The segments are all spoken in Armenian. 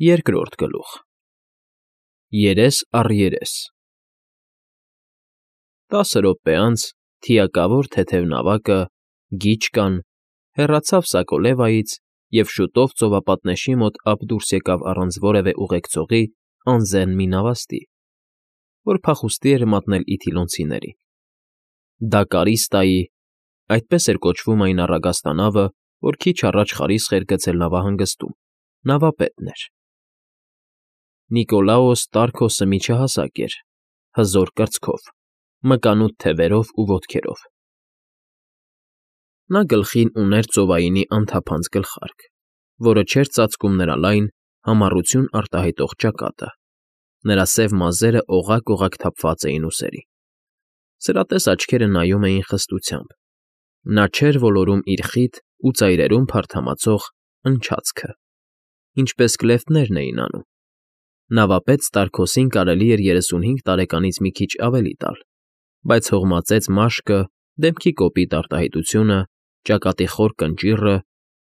Երկրորդ գլուխ Երես առ երես 10 րոպե անց թիակավոր թեթև նավակը, գիչկան, հեռացավ Սակոլևայից և շուտով ծովապատնեշի մոտ ափ դուրս եկավ առանց որևէ ուղեկցողի անձեռն մի նավաստի, որ փախուստի էր մատնել իթիլոնցիներին. դա Կարիստայի (այդպես էր կոչվում այն առագաստանավը, որ քիչ առաջ խարիսխ էր գցել նավահանգստում) նավապետն էր։ Նիկոլաոս Տարքոսը միջահասակ էր, հզոր կրծքով, մկանուտ թևերով ու ոտքերով։ Նա գլխին ուներ ծովայինի անթափանց գլխարկ, որը չէր ծածկում նրա լայն, համառություն արտահայտող ճակատը, նրա սև մազերը օղակ֊օղակ թափված էին ուսերին։ Սրատես աչքերը նայում էին խստությամբ, նա չէր ոլորում իր խիտ ու ծայրերում փարթամածող ընչացքը, ինչպես կլեֆտներն էին անում։ Նավապետ Ստարքոսին կարելի էր 35 տարեկանից մի քիչ ավելի տալ, բայց հողմածեց մաշկը, դեմքի կոպիտ արտահայտությունը, ճակատի խոր կնճիռը,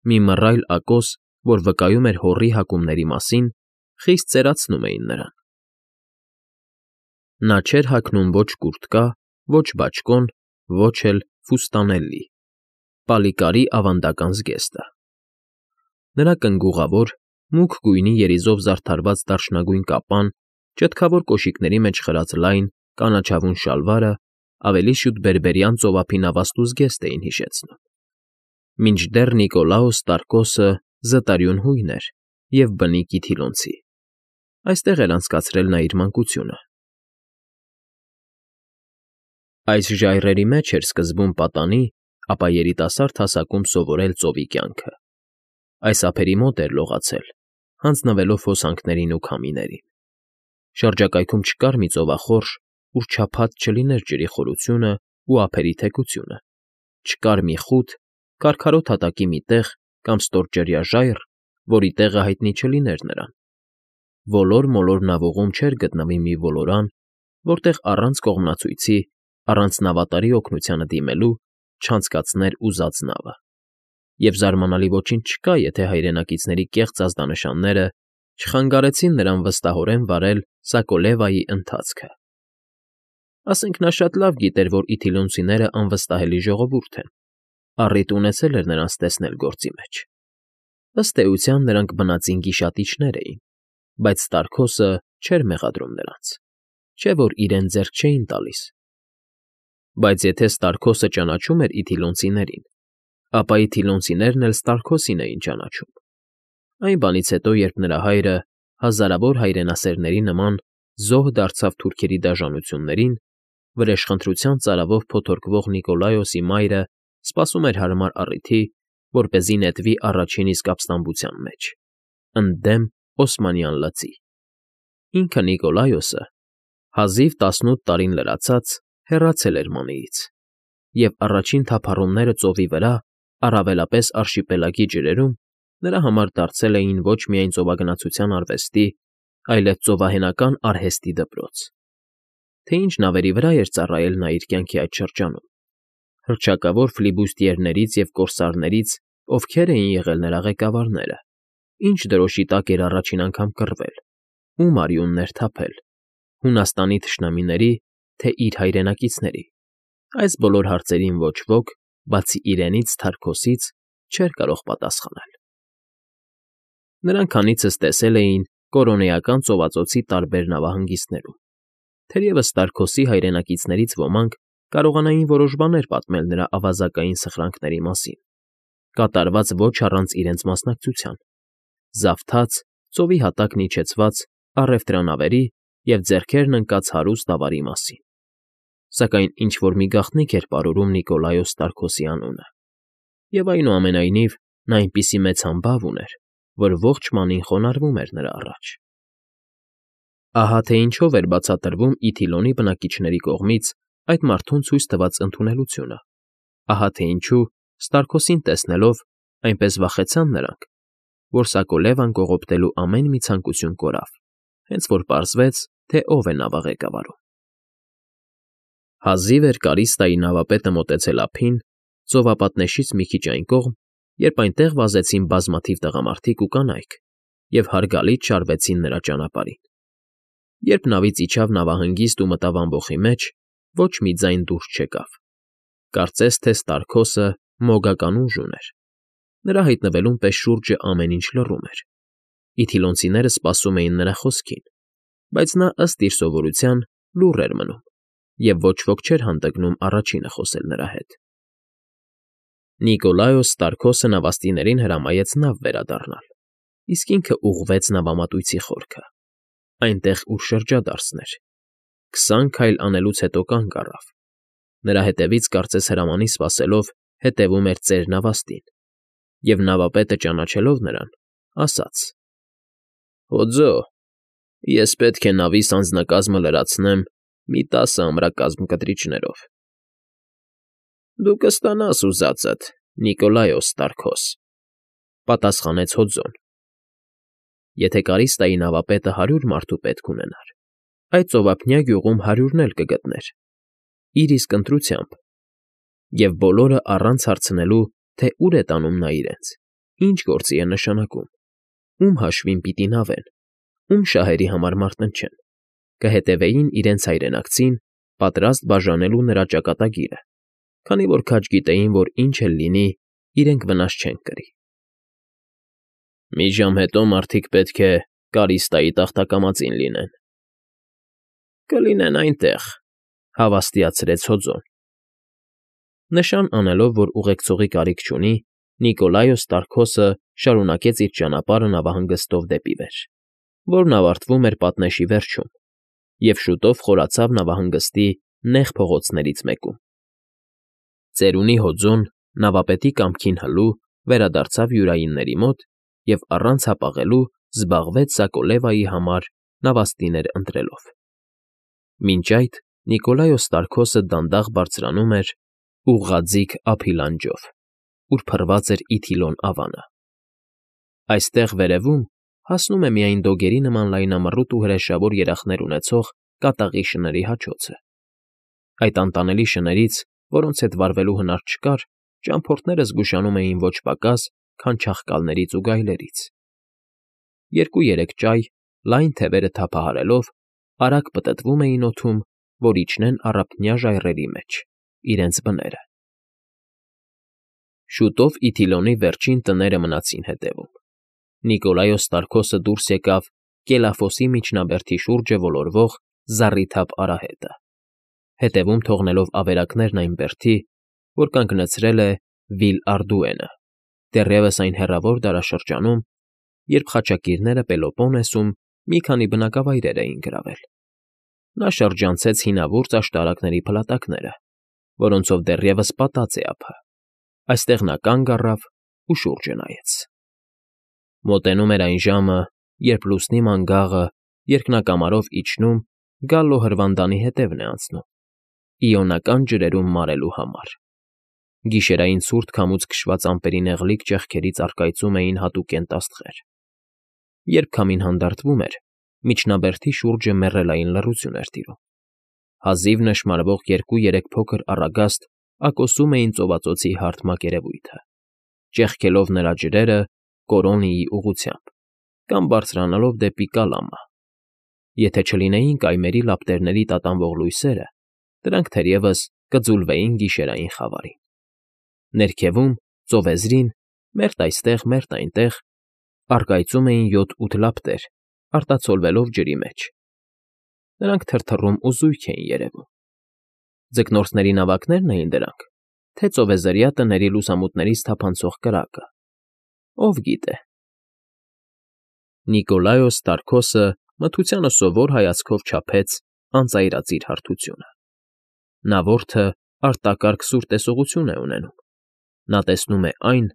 մի մռայլ ակոս, որ վկայում էր հոռի հակումների մասին, խիստ ծերացնում էին նրան։ Նա չէր հագնում ոչ կուրտկա, ոչ բաճկոն, ոչ էլ ֆուստանելի, պալիկարի ավանդական զգեստը։ Նրա կնգուղավոր, մուգ գույնի երիզով զարդարված դարչնագույն կապան, ճտկավոր կոշիկների մեջ խրած լայն, կանաչավուն շալվարը ավելի շուտ բերբերյան ծովափի նավաստու զգեստ էին հիշեցնում։ Մինչդեռ Նիկոլաոս Տարքոսը զտարյուն հույն էր և բնիկ իթիլոնցի, այստեղ էր անցկացրել նա իր մանկությունը։ Այս ժայռերի մեջ էր սկզբում պատանի, ապա երիտասարդ հասակում սովորել ծովի կյանքը։ Այս ափերի մոտ էր լողացել, հանձնվելով հոսանքներին ու քամիներին։ Շրջակայքում չկար մի ծովախորշ, ուր չափած չլիներ ջրի խորությունն ու ափերի թեքությունը, չկար մի խութ, քարքարոտ հատակի մի տեղ կամ ստորջրյա ժայռ, որի տեղը հայտնի չլիներ նրան։ Ոլոր֊մոլոր նավուղում չէր գտնվի մի ոլորան, որտեղ առանց կողմնացույցի, առանց նավատարի օգնությանը դիմելու չանցկացներ ուզած նավը։ Եվ զարմանալի ոչինչ չկա, եթե հայրենակիցների կեղծ ազդանշանները չխանգարեցին նրան վստահորեն վարել Սակոլևայի ընթացքը։ Ասենք նա շատ լավ գիտեր, որ իթիլոնցիները անվստահելի ժողովուրդ են, առիթ ունեցել էր նրանց տեսնել գործի մեջ։ Ըստ էության նրանք բնածին գիշատիչներ էին, բայց Ստարքոսը չէր մեղադրում նրանց, չէ՞ որ իրեն ձեռք չէին տալիս։ Բայց եթե Ստարքոսը ճանաչում էր իթիլոնցիներին, ապա իթիլոնցիներն էլ Ստարքոսին էին ճանաչում։ Այն բանից հետո, երբ նրա հայրը, հազարավոր հայրենասերների նման, զոհ դարձավ թուրքերի դաժանություններին, վրեժխնդրության ծարավով փոթորկվող Նիկոլաոսի մայրը սպասում էր հարմար առիթի, որպեսզի նետվի առաջին իսկ ապստամբության մեջ, ընդդեմ օսմանյան լծի։ Ինքը Նիկոլաոսը, հազիվ 18 տարին լրացած, հեռացել էր Մանեից, և առաջին թափառումները ծովի վրա, առավելապես արշիպելագի ջրերում, նրա համար դարձել էին ոչ միայն ծովագնացության արվեստի, այլև ծովահենական արհեստի դպրոց։ Թե ինչ նավերի վրա էր ծառայել նա իր կյանքի այդ շրջանում, հռչակավոր ֆլիբուստիերներից և կորսարներից ովքեր էին եղել նրա ղեկավարները, ինչ դրոշի տակ էր առաջին անգամ կռվել, ում արյունն էր թափել, Հունաստանի թշնամիների, թե իր հայրենակիցների, այս բոլոր հարցերին ոչ ոք, բացի իրենից Ստարքոսից, չէր կարող պատասխանել։ Նրանք քանիցս տեսել էին Կորոնեական ծովածոցի տարբեր նավահանգիստներում, թերևս Ստարքոսի հայրենակիցներից ոմանք կարողանային որոշ բաներ պատմել նրա ավազակային սխրանքների մասին, կատարված ոչ առանց իրենց մասնակցության, զավթած, ծովի հատակն իջեցված առևտրանավերի և ձեռքերն ընկած հարուստ ավարի մասին։ Սակայն ինչ֊որ մի գաղտնիք էր պարուրում Նիկոլաոս Ստարքոսի անունը, և այնուամենայնիվ նա այնպիսի մեծ համբավ ուներ, որ ողջ մանին խոնարհվում էր նրա առաջ։ Ահա թե ինչով էր բացատրվում Իթիլոնի բնակիչների կողմից այդ մարդուն ցույց տված ընդունելությունը, ահա թե ինչու, Ստարքոսին տեսնելով, այնպես վախեցան նրանք, որ Սակոլևան կողոպտելու ամեն մի ցանկություն կորավ, հենց որ պարզվեց, թե ով է նավաղեկավարում։ Հազիվ էր Կարիստայի նավապետը մոտեցել ափին, ծովապատնեշից մի քիչ այն կողմ, երբ այնտեղ վազեցին բազմաթիվ տղամարդիկ ու կանայք, և հարգալից շարվեցին նրա ճանապարհին։ Երբ նավից իջավ նավահանգիստ ու մտավ ամբոխի մեջ, ոչ մի ձայն դուրս չեկավ։ Կարծես թե Ստարքոսը մոգական ուժ ուներ։ Նրա հայտնվելուն պես շուրջը ամեն ինչ լռում էր։ Իթիլոնցիները սպասում էին նրա խոսքին, բայց նա, ըստ իր սովորության, լուռ էր մնում, և ոչ ոք չէր հանդգնում առաջինը խոսել նրա հետ։ Նիկոլայոս Ստարքոսը նավաստիներին հրամայեց նավ վերադառնալ, իսկ ինքը ուղղվեց նավամատույցի խորքը, այնտեղ, ուր շրջադարձն էր։ 20 քայլ անելուց հետո կանգ առավ։ Նրա հետևից, կարծես հրամանի սպասելով, հետևում էր ծեր նավաստին, և նավապետը, ճանաչելով նրան, ասաց. «Օձո, ես պետք է նավիս անձնակազմը լրացնեմ մի 10 ամրակազմ կտրիչներով»։ «Դու կստանաս ուզածդ, Նիկոլայոս Ստարքոս», պատասխանեց հոձոն։ Եթե Կարիստայի նավապետը 100 մարդու պետք ունենար, այդ ծովափնյա գյուղում 100-ն էլ կգտներ, իր իսկ ընտրությամբ, և բոլորը առանց հարցնելու, թե ուր է տանում նա իրենց, ինչ գործի է նշանակում, ում հաշվին պիտի նավեն, ում շահերի համար մարտնչեն, կհետևեին իրենց հայրենակցին, պատրաստ բաժանելու նրա ճակատագիրը, քանի որ քաջ գիտեին, որ ինչ էլ լինի, իրենք վնաս չեն կրի։ «Մի ժամ հետո մարդիկ պետք է Կարիստայի տախտակամածին լինեն»։ «Կլինեն այնտեղ», հավաստիացրեց հոձոն։ Նշան անելով, որ ուղեկցողի կարիք չունի, Նիկոլայոս Ստարքոսը շարունակեց իր ճանապարհը նավահանգստով դեպի վեր, որն ավարտվում էր պատնեշի վերջում, և շուտով խորացավ նավահանգստի նեղ փողոցներից մեկում։ Ծերունի հոձոն, նավապետի կամքին հլու, վերադարձավ յուրայինների մոտ և առանց հապաղելու զբաղվեց Սակոլևայի համար նավաստիներ ընտրելով։ Մինչ այդ Նիկոլայոս Ստարքոսը դանդաղ բարձրանում էր ուղղաձիգ ափի լանջով, ուր փռված էր Իթիլոն ավանը։ Այստեղ, վերևում, հասնում է միայն դոգերի նման լայնամռութ ու հրեշավոր երախներ ունեցող կատաղի շների հաչոցը։ Այդ անտանելի շներից, որոնց հետ վարվելու հնար չկար, ճամփորդները զգուշանում էին ոչ պակաս, քան չաղկալներից ու գայլերից։ 2-3 ճայ, լայն թևերը թափահարելով, արագ պտտվում էին օդում, որ իջնեն առափնյա ժայռերի մեջ, իրենց բները։ Շուտով Իթիլոնի վերջին տները մնացին հետևում։ Նիկոլայոս Ստարքոսը դուրս եկավ Կելաֆոսի միջնաբերդի շուրջը ոլորվող զառիթափ արահետը, հետևում թողնելով ավերակներն այն բերդի, որ կանգնեցրել է Վիլ Արդուենը, դեռևս այն հեռավոր դարաշրջանում, երբ խաչակիրները Պելոպոնեսում մի քանի բնակավայրեր էին գրավել։ Նա շրջանցեց հինավուրց աշտարակների փլատակները, որոնցով դեռևս պատած է ափը։ Այստեղ նա կանգ առավ ու շուրջը նայեց։ Մոտենում էր այն ժամը, երբ լուսնի մանգաղը երկնակամարով իջնում, գալլո հրվանդանի հետևն է անցնում, Իոնական ջրերում մարելու համար։ Գիշերային ցուրտ քամուց քշված ամպերի նեղլիկ ճեղքերից առկայծում էին հատուկենտ աստղեր։ Երբ քամին հանդարտվում էր, միջնաբերդի շուրջը մեռելային լռություն էր տիրում։ Հազիվ նշմարվող 2-3 փոքր առագաստ ակոսում էին ծովածոցի հարթ մակերևույթը, ճեղքելով նրա ջրերը Կորոնիի ուղղությամբ կամ բարձրանալով դեպի Կալամա։ Եթե չլինեին կայմերի լապտերների տատանվող լույսերը, դրանք թերևս կձուլվեին գիշերային խավարին։ Ներքևում, ծովեզրին, մերթ այստեղ, մերթ այնտեղ, առկայծում էին 7-8 լապտեր, արտացոլվելով ջրի մեջ։ Նրանք թրթռում ու զույգ էին երևում։ Ձկնորսների նավակնե՞րն էին դրանք, թե ծովեզրյա տների լուսամուտներից թափանցող կրակը։ Ով գիտե։ Նիկոլայոս Ստարքոսը մթությանը սովոր հայացքով չափեց անծայրածիր հարթությունը։ Նա որդը արտակարգ սուր տեսողություն է ունենում։ Նա տեսնում է այն,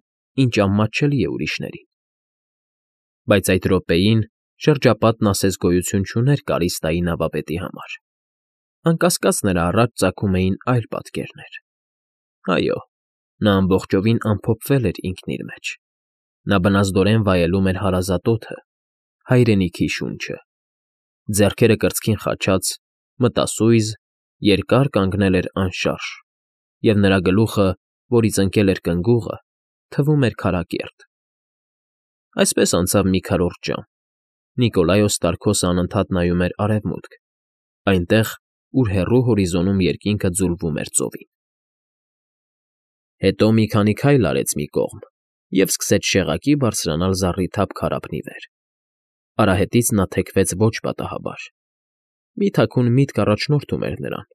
ինչ անմատչելի է ուրիշներին։ Բայց այդ րոպեին շրջապատն ասես գոյություն չուներ Կարիստայի նավապետի համար։ Անկասկած նրա առաջ ծագում էին այլ պատկերներ։ Այո, նա ամբողջովին ամփոփվել էր ինքն իր մեջ։ Նա բնազդորեն վայելում էր հարազատ օդը, հայրենիքի շունչը։ Ձեռքերը կրծքին խաչած, մտասույզ, երկար կանգնել էր անշարժ, և նրա գլուխը, որից ընկել էր կնգուղը, թվում էր քարակերտ։ Այսպես անցավ մի քառորդ ժամ։ Նիկոլայոս Ստարկոսը անընդհատ նայում էր արևմուտք, այնտեղ, ուր հեռու հորիզոնում երկինքը ձուլվում էր ծովին։ Հետո մի քանի քայլ արեց մի կողմ և սկսեց շեղակի բարձրանալ զառիթափ քարափնի վեր։ Արահետից նա թեքվեց ոչ պատահաբար։ Մի թաքուն միտք առաջնորդում էր նրան,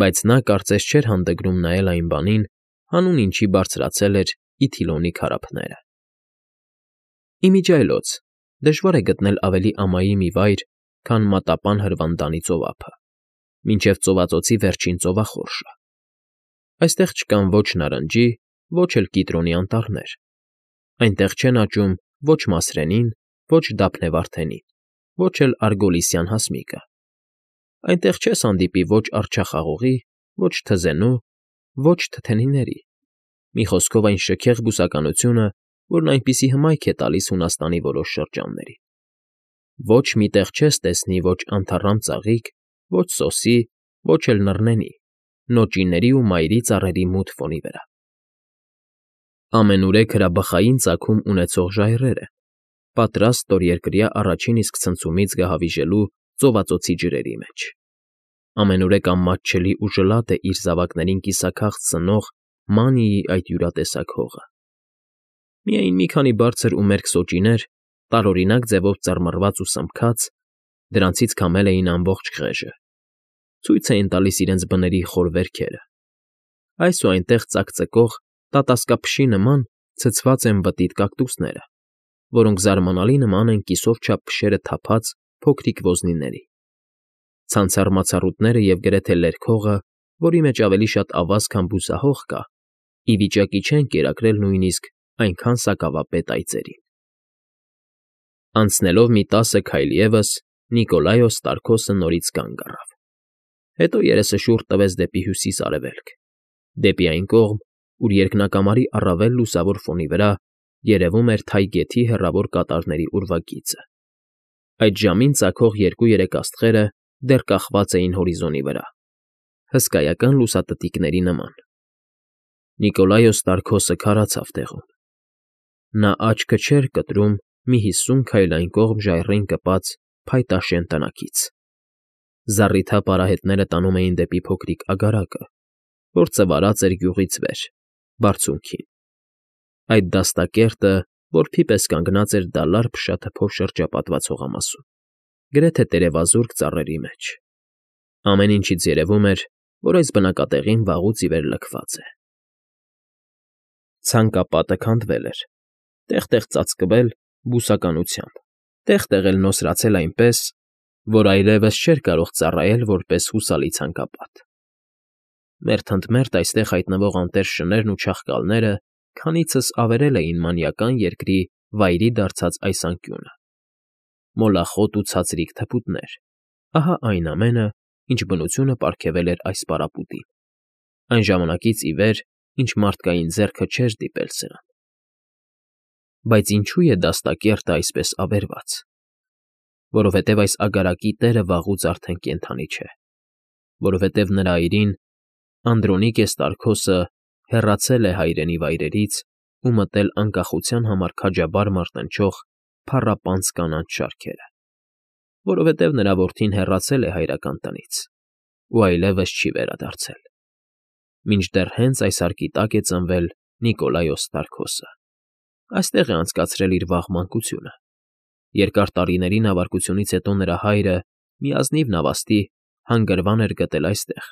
բայց նա կարծես չէր հանդգնում նայել այն բանին, հանուն ինչի բարձրացել էր Իթիլոնի քարափները։ Իմիջիայլոց, դժվար է գտնել ավելի ամայի մի վայր, քան Մատապան Հրվանդանի ծովափը, մինչև ծովածոցի վերջին ծովախորշը։ Այստեղ չկան ոչ նարնջի, ոչ էլ կիտրոնի անտառներ։ Այնտեղ չեն աճում ոչ մասրենին, ոչ դափնեվարդենին, ոչ էլ արգոլիսյան հասմիկը։ Այնտեղ չես հանդիպի ոչ արջախաղողի, ոչ թզենու, ոչ թթենիների։ Մի խոսքով այն շքեղ բուսականությունը, որն այնպիսի հմայք է տալիս Հունաստանի որոշ շրջաններին։ Ոչ մի տեղ չես տեսնի ոչ անթառամ ծաղիկ, ոչ սոսի, ոչ էլ նռնենի, նոճիների ու մայրի ծառերի մութ ֆոնի վրա։ Ամենուրեք հրաբխային ծագում ունեցող ժայռեր են, պատրաստ ստորերկրյա առաջին իսկ ցնցումից գահավիժելու ծովածոցի ջրերի մեջ։ Ամենուրեք անմատչելի ու ժլատ է իր զավակներին կիսաքաղց ծնող Մանիի այդ յուրատեսակ հողը։ Միայն մի քանի բարձր ու մերկ սոճիներ, տարօրինակ ձևով ծռմռված ու սմբքած, դրանցից քամել էին ամբողջ խեղճը, ցույց էին տալիս իրենց բների խոր վերքերը։ Այս ու այնտեղ ծակծկող, տատասկափշի նման ցցված են բտիտ կակտուսները, որոնք զարմանալի նման են կիսով չափ փշերը թափած փոքրիկ ոզնիների։ Ցանցառ մացառուտները և գրեթե լերկ հողը, որի մեջ ավելի շատ ավազ, քան բուսահող կա, ի վիճակի չեն կերակրել նույնիսկ այնքան սակավապետ այծերին։ Անցնելով մի 10 քայլ ևս, Նիկոլայոս Ստարկոսը նորից կանգ առավ։ Հետո երեսը շուռ տվեց դեպի հյուսիս֊արևելք, դեպի այն կողմ, ուր երկնակամարի առավել լուսավոր ֆոնի վրա երևում էր թայ գեթի հեռավոր կատարների ուրվագիծը։ Այդ ժամին ծագող 2-3 աստղերը դեռ կախված էին հորիզոնի վրա, հսկայական լուսատտիկների նման։ Նիկոլայոս Ստարկոսը քարացավ տեղում։ Նա աչքը չէր կտրում մի 50 քայլ այն կողմ ժայռին կպած փայտաշեն տնակից։ Զառիթափ արահետները տանում էին դեպի փոքրիկ ագարակը, որ ծվարած էր գյուղից վեր, բարձունքին։ Այդ դաստակերտը որբի պես կանգնած էր դալար փշաթփով շրջապատված հողամասում, գրեթե տերևազուրկ ծառերի մեջ։ Ամեն ինչից երևում էր, որ այս բնակատեղին վաղուց ի վեր լքված է։ Ցանկապատը քանդվել էր, տեղ֊տեղ ծածկվել բուսականությամբ, տեղ֊տեղ էլ նոսրացել այնպես, որ այլևս չէր կարող ծառայել որպես հուսալի ցանկապատ։ Մերթ ընդ մերթ այստեղ հայտնվող անտեր շներն ու չաղկալները քանիցս ավերել էին մանիական երկրի վայրի դարձած այս անկյունը։ Մոլախոտ ու ցածրիկ թփուտներ, ահա այն ամենը, ինչ բնությունը պարգևել էր այս պարապուտին, այն ժամանակից ի վեր, ինչ մարդկային ձեռքը չէր դիպել սրան։ Բայց ինչո՞ւ է դաստակերտը այսպես ավերված։ Որովհետև այս ագարակի տերը վաղուց արդեն կենդանի չէ, որովհետև նրա այրին, Անդրոնիկե Ստարկոսը, հեռացել է հայրենի վայրերից ու մտել անկախության համար քաջաբար մարտնչող փառապանծ կանաչ շարքերը, որովհետև նրա որդին հեռացել է հայրական տնից ու այլևս չի վերադարձել։ Մինչդեռ հենց այս հարկի տակ է ծնվել Նիկոլայոս Ստարկոսը։ Այստեղ է անցկացրել իր վաղ մանկությունը։ Երկար տարիների նավարկությունից հետո նրա հայրը մի ազնիվ նավաստի հանգրվան էր գտել այստեղ,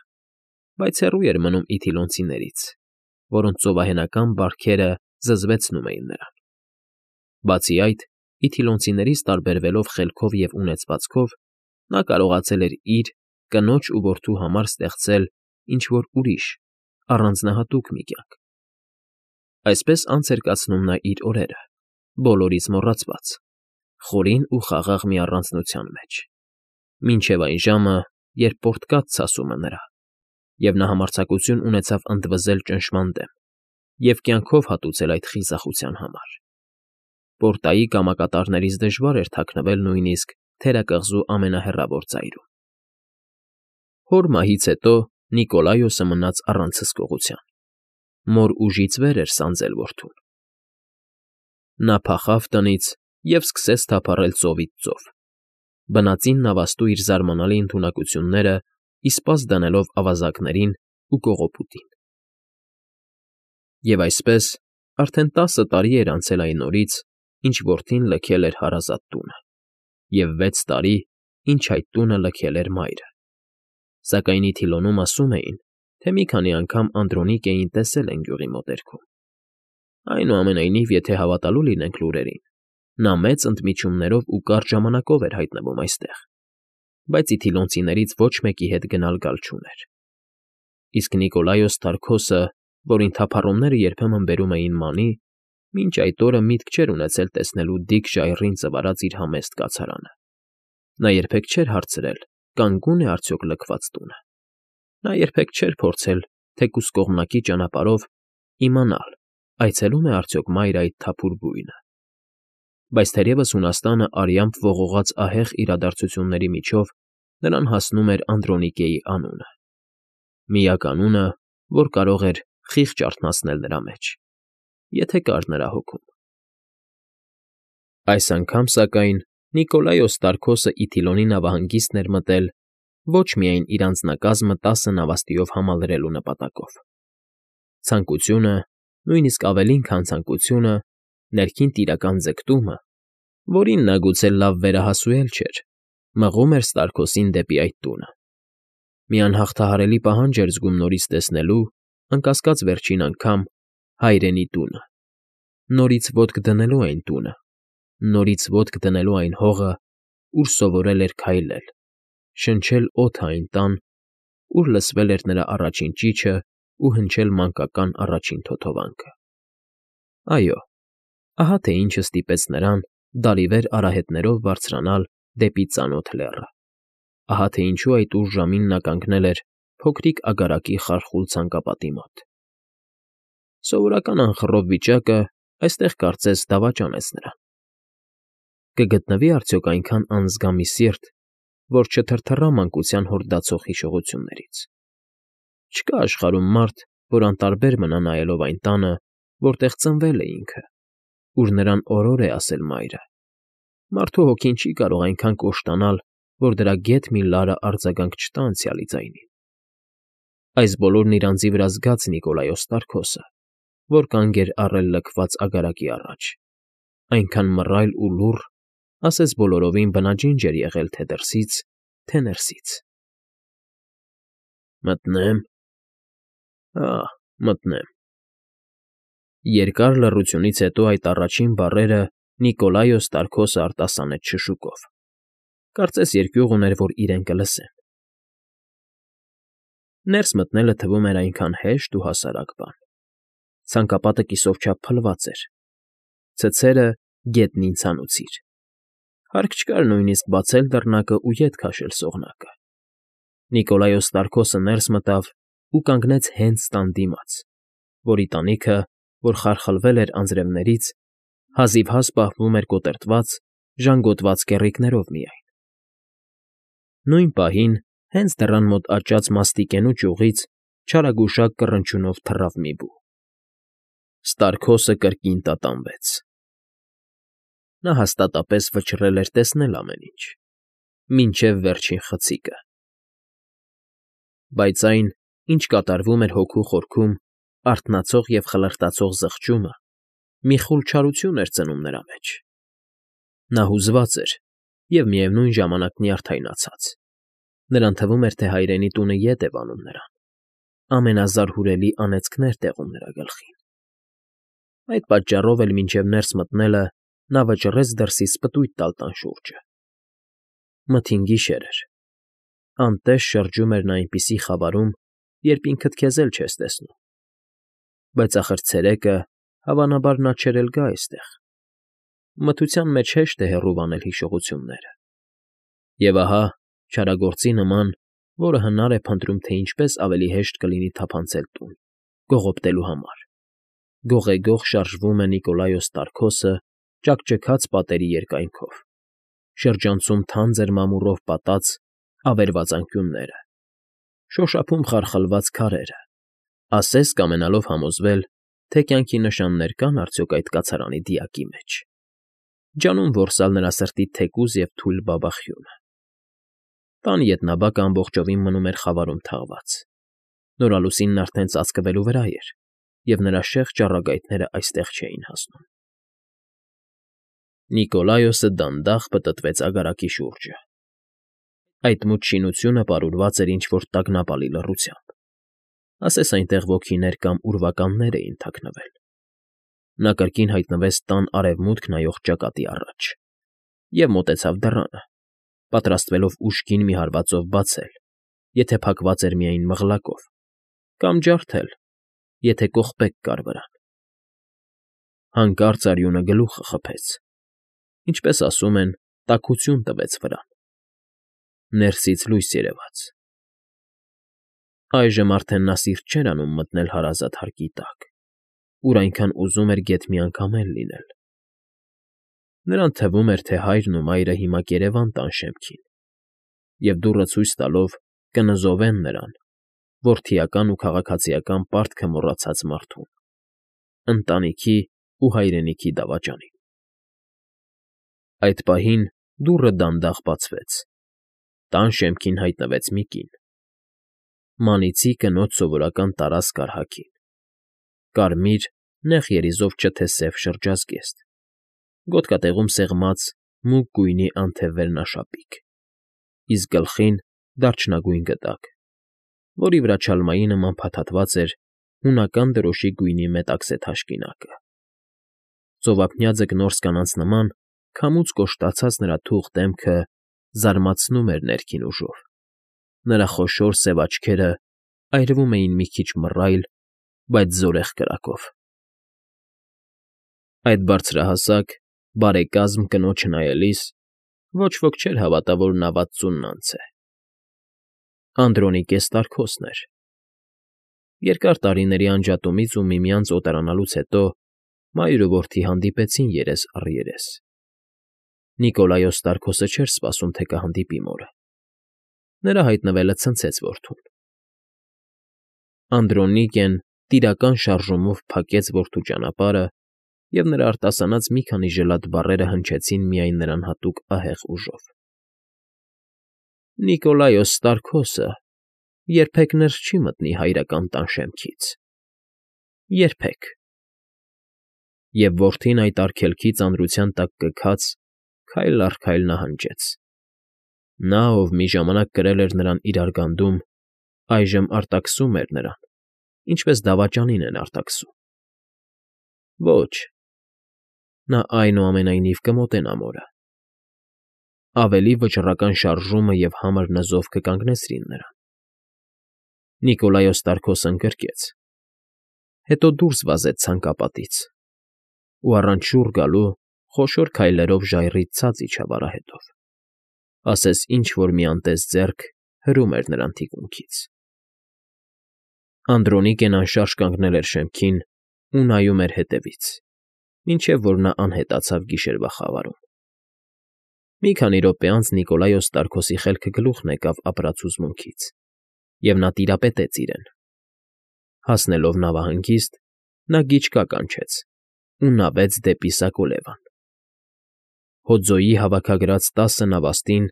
բայց հեռու էր մնում իթիլոնցիներից, որոնց ծովահենական բարքերը զզվեցնում էին նրան։ Բացի այդ, իթիլոնցիներից տարբերվելով խելքով և ունեցվածքով, նա կարողացել էր իր, կնոջ ու որդու համար ստեղծել ինչ֊որ ուրիշ, առանձնահատուկ մի կյանք։ Այսպես անց էր կացնում նա իր օրերը, բոլորից մոռացված, խորին ու խաղաղ մի առանձնության մեջ, մինչև այն ժամը, երբ պորտկաց ցասումը նրա, և նա համարձակություն ունեցավ ընդվզել ճնշման դեմ և կյանքով հատուցել այդ խիզախության համար։ Պորտայի կամակատարներից դժվար էր թաքնվել նույնիսկ թերակղզու ամենահեռավոր ծայրում։ Հոր մահից հետո Նիկոլայոսը մնաց առանց հսկողության։ Մոր ուժից վեր էր սանձել որդուն։ Նա փախավ տնից և սկսեց թափառել ծովից ծով, բնածին նավաստու իր զարմանալի ընդունակությունները իսպաս դնելով ավազակներին ու կողոպուտին։ Եվ այսպես, արդեն 10 տարի էր անցել այն օրից, ինչ որդին լքել էր հարազատ տունը, և 6 տարի, ինչ այդ տունը լքել էր մայրը։ Սակայն ի Թիլոնում ասում էին, թե մի քանի անգամ Անդրոնիկեին տեսել են գյուղի մոտերքում։ Այնուամենայնիվ, եթե հավատալու լինենք լուրերին, նա մեծ ընդմիջումներով ու կարճ ժամանակով էր հայտնվում այստեղ, բայց իթիլոնցիներից ոչ մեկի հետ գնալ֊գալ չուներ։ Իսկ Նիկոլայոս Տարկոսը, որին թափառումները երբեմն բերում էին մանի, մինչ այդ օրը միտք չէր ունեցել տեսնելու դիք ժայռին ծվարած իր համեստ կացարանը։ Նա երբեք չէր հարցրել, կանգուն է արդյոք լքված տունը։ Նա երբեք չէր փորձել, թեկուզ կողմնակի ճանապարհով, իմանալ, այցելում է արդյոք մայրը այդ թափուր բույնը։ Բայց թերևս Հունաստանը արյամբ ողողած ահեղ իրադարձությունների միջով նրան հասնում էր Անդրոնիկեի անունը։ Միակ անունը, որ կարող էր խիղճ արթնացնել նրա մեջ, եթե կար նրա հոգում։ Այս անգամ, սակայն, Նիկոլայոս Տարկոսը Իթիլոնի նավահանգիստն էր մտել ոչ միայն իր անձնակազմը 10 նավաստիով համալրելու նպատակով։ Ցանկությունը, նույնիսկ ավելին, քան ցանկությունը, ներքին տիրական ձգտումը, որին նա գուցե լավ վերահասուել չէր, մղում էր Ստարկոսին դեպի այդ տունը։ Մի անհաղթահարելի պահանջ էր զգում նորից տեսնելու, անկասկած վերջին անգամ, հայրենի տունը, նորից ոտք դնելու այն տունը, նորից ոտք դնելու այն հողը, ուր սովորել էր քայլել, շնչել օդը այն տան, ուր լսվել էր նրա առաջին ճիչը ու հնչել մանկական առաջին թոթովանքը։ Այո, ահա թե ինչը ստիպեց նրան դալիվեր արահետներով բարձրանալ դեպի ծանոթ լեռը, ահա թե ինչու այդ ուշ ժամին նա կանգնել էր փոքրիկ ագարակի խարխուլ ցանկապատի մոտ։ Սովորական անխռով վիճակը այստեղ կարծես դավաճանեց նրան։ Կգտնվի արդյոք այնքան անզգամի սիրտ, որ չթրթռա մանկության հորդացող հիշողություններից։ Չկա աշխարհում մարդ, որ անտարբեր մնա նայելով այն տանը, որտեղ ծնվել է ինքը, ուր նրան օրոր է ասել մայրը։ Մարդու հոգին չի կարող այնքան կոշտանալ, որ դրա գեթ մի լարը արձագանք չտա անցյալի ձայնին։ Այս բոլորն իր անձի վրա զգաց Նիկոլայոս Տարկոսը, որ կանգ էր առել լքված ագարակի առաջ, այնքան մռայլ ու լուռ, ասես բոլորովին բնաջինջ էր եղել թե դրսից, թե ներսից։ Մտնե՞մ։ Մտնեմ։ Երկար լռությունից հետո այդ առաջին բառերը Նիկոլայոս Տարկոսը արտասանեց շշուկով։ Կարծես երկյուղ ուներ, որ իրեն կլսեն։ Ներս մտնելը թվում էր այնքան հեշտ ու հասարակ բան։ Ցանկապատը կիսով չափ փլված էր։ Ցցերը գետնին ցանուցիր։ Հարկ չկար նույնիսկ բացել դռնակը ու ետ քաշել սողնակը։ Նիկոլայոս Տարկոսը ներս մտավ ու կանգնեց հենց տան դիմաց, որի տանիքը, որ խարխլվել էր անձրևներից, հազիվհազ պահվում էր կոտրտված, ժանգոտված կեռիկներով միայն։ Նույն պահին, հենց դռան մոտ աճած մաստիկենու ճյուղից չարագուշակ կռնչյունով թռավ մի բու։ Ստարկոսը կրկին տատանվեց։ Նա հաստատապես վճռել էր տեսնել ամեն ինչ, մինչև վերջին խցիկը։ Բայց այն, ինչ կատարվում էր հոգու խորքում, արթնացող և խլրտացող զղջումը, մի խուլ չարություն էր ծնում նրա մեջ։ Նա հուզված էր և միևնույն ժամանակ նյարդայնացած։ Նրան թվում էր, թե հայրենի տունը ետ է վանում նրան։ Ամենազարհուրելի անեծքներ տեղում նրա գլխին։ Այդ պատճառով էլ մինչև ներս մտնելը նա վճռեց դրսից պտույտ տալ տան շուրջը։ Մթին գիշեր էր։ Անտեստ շրջում էր նա այնպիսի խավարում, երբ ինքդ քեզ էլ չես տեսնում։ Բայց ախր ցերեկը, հավանաբար, նա չէր էլ գա այստեղ։ Մթության մեջ հեշտ է հեռու վանել հիշողությունները։ Եվ ահա, չարագործի նման, որը հնար է փնտրում, թե ինչպես ավելի հեշտ կլինի թափանցել տուն, կողոպտելու համար, գողեգող շարժվում է Նիկոլայոս Տարկոսը ճաքճքած պատերի երկայնքով, շրջանցում թանձր մամուռով պատած ավերված անկյունները, շոշափում խարխլված քարերը, ասես կամենալով համոզվել, թե կյանքի նշաններ կան արդյոք այդ կացարանի դիակի մեջ, ջանում որսալ նրա սրտի թեկուզ և թույլ բաբախյունը։ Տան ետնաբակը ամբողջովին մնում էր խավարում թաղված, նորալուսինն արդեն ծածկվելու վրա էր, և նրա շեղ ճառագայթները այստեղ չէին հասնում։ Նիկոլայոսը դանդաղ պտտվեց ագարակի շուրջը։ Այդ մութ շինությունը պարուրված էր ինչ֊որ տագնապալի լռությամբ, ասես այնտեղ ոգիներ կամ ուրվականներ էին թաքնվել։ Նա կրկին հայտնվեց տան արևմուտք նայող ճակատի առաջ և մոտեցավ դռանը, պատրաստվելով ուժգին մի հարվածով բացել, եթե փակված էր միայն մղլակով, կամ ջարդել, եթե կողպեք կար վրան։ Հանկարծ արյունը գլուխը խփեց, ինչպես ասում են, տաքություն տվեց վրան։ Ներսից լույս երևաց։ Այժմ արդեն նա սիրտ չէր անում մտնել հարազատ հարկի տակ, ուր այնքան ուզում էր գեթ մի անգամ էլ լինել։ Նրան թվում էր, թե հայրն ու մայրը հիմա կերևան տան շեմքին և դուռը ցույց տալով կնզովեն նրան, որդիական ու քաղաքացիական պարտքը մոռացած մարդուն, ընտանիքի ու հայրենիքի դավաճանին։ Այդ պահին դուռը դանդաղ բացվեց։ Տան շեմքին հայտնվեց մի կին։ Մանիցի կնոջ սովորական տարազք առհագին, կարմիր, նեղ երիզով չթեսև շրջազգեստ, գոտկատեղում սեղմած մուգ գույնի անթև վերնաշապիկ, իսկ գլխին դարչնագույն գդակ, որի վրա չալմայի նման փաթաթված էր հունական դրոշի գույնի մետաքսե թաշկինակը։ Ծովափնյա ձկնորս կանանց նման քամուց կոշտացած նրա թուխ դեմքը զարմացնում էր ներքին ուժով, նրա խոշոր սև աչքերը այրվում էին մի քիչ մռայլ, բայց զորեղ կրակով։ Այդ բարձրահասակ, բարեկազմ կնոջը նայելիս ոչ ոք չէր հավատա, որ նա վաթսունն անց է։ Անդրոնիկե Ստարքոսն էր։ Երկար տարիների անջատումից ու միմյանց օտարանալուց հետո մայր ու որդի հանդիպեցին երես առ երես։ Նիկոլայոս Ստարքոսը չէր սպասում, թե կհանդիպի մորը։ Նրա հայտնվելը ցնցեց որդուն։ Անդրոնիկեն տիրական շարժումով փակեց որդու ճանապարհը, և նրա արտասանած մի քանի ժլատ բառերը հնչեցին միայն նրան հատուկ ահեղ ուժով։ Նիկոլայոս Ստարքոսը երբեք ներս չի մտնի հայրական տան շեմքից։ Երբեք։ Եվ որդին այդ արգելքի ծանրության տակ կքած քայլ առ քայլ նահանջեց։ Նա, ով մի ժամանակ կրել էր նրան իր արգանդում, այժմ արտաքսում էր նրան, ինչպես դավաճանին են արտաքսում։ Ոչ, նա այնուամենայնիվ կմոտենա մորը։ Ավելի վճռական շարժումը և համր նզով կկանգնեցրին նրան։ Նիկոլայոս Ստարքոսն ընկրկեց, հետո դուրս վազեց ցանկապատից ու առանց շուռ գալու խոշոր քայլերով ժայռից ցած իջավ արահետով, ասես ինչ֊որ մի անտես ձեռք հրում էր նրան թիկունքից։ Անդրոնիկեն անշարժ կանգնել էր շեմքին ու նայում էր հետևից, մինչև որ նա անհետացավ գիշերվա խավարում։ Մի քանի րոպե անց Նիկոլայոս Ստարքոսի խելքը գլուխն եկավ ապրած հուզմունքից, և նա տիրապետեց իրեն։ Հասնելով նավահանգիստ, նա գիչկա կանչեց ու նավեց դեպի Սակոլևան։ Հոձոյի հավաքագրած 10 նավաստին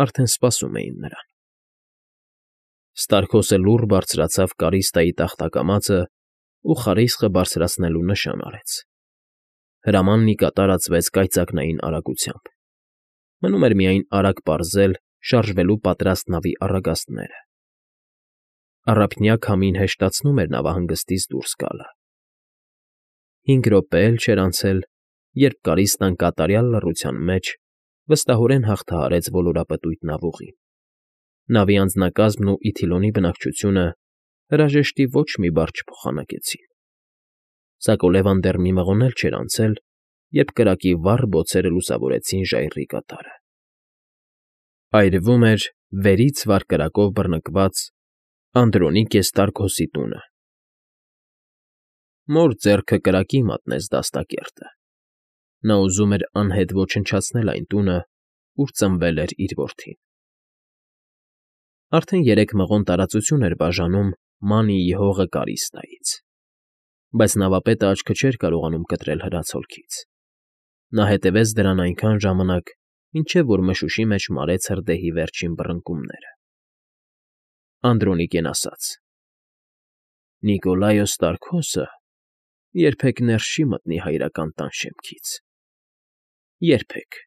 արդեն սպասում էին նրան։ Ստարքոսը լուռ բարձրացավ կարիստայի տախտակամածն ու խարիսխը բարձրացնելու նշան արեց։ Հրամանն ի կատար ածվեց կայծակնային արագությամբ։ Մնում էր միայն արագ պարզել շարժվելու պատրաստ նավի առագաստները։ Առափնյա քամին հեշտացնում էր նավահանգստից դուրս գալը։ 5 րոպե էլ չէր անցել, երբ կարիստան կատարյալ լռության մեջ վստահորեն հաղթահարեց ոլորապտույտ նավուղին։ Նավի անձնակազմն ու Իթիլոնի բնակչությունը հրաժեշտի ոչ մի բառ չփոխանակեցին։ Սակոլևան դեռ մի մղոն էլ չէր անցել, երբ կրակի վառ բոցերը լուսավորեցին ժայռի կատարը։ Այրվում էր վերից վար կրակով բռնկված Անդրոնիկե Ստարքոսի տունը։ Մոր ձեռքը կրակի մատնեց դաստակերտը։ Նա ուզում էր անհետ ոչնչացնել այն տունը, ուր ծնվել էր իր որդին։ Արդեն 3 մղոն տարածություն էր բաժանում Մանիի հողը Կարիստայից։ Բայց նավապետը աչքը չէր կարողանում կտրել հրացոլքից. նա հետևեց դրան այնքան ժամանակ, մինչև որ մշուշի մեջ մարեց հրդեհի վերջին բռնկումները։ Անդրոնիկեն ասաց. Նիկոլայոս Ստարկոսը երբեք ներս չի մտնի հայրական տան շեմքից։ Երբեք։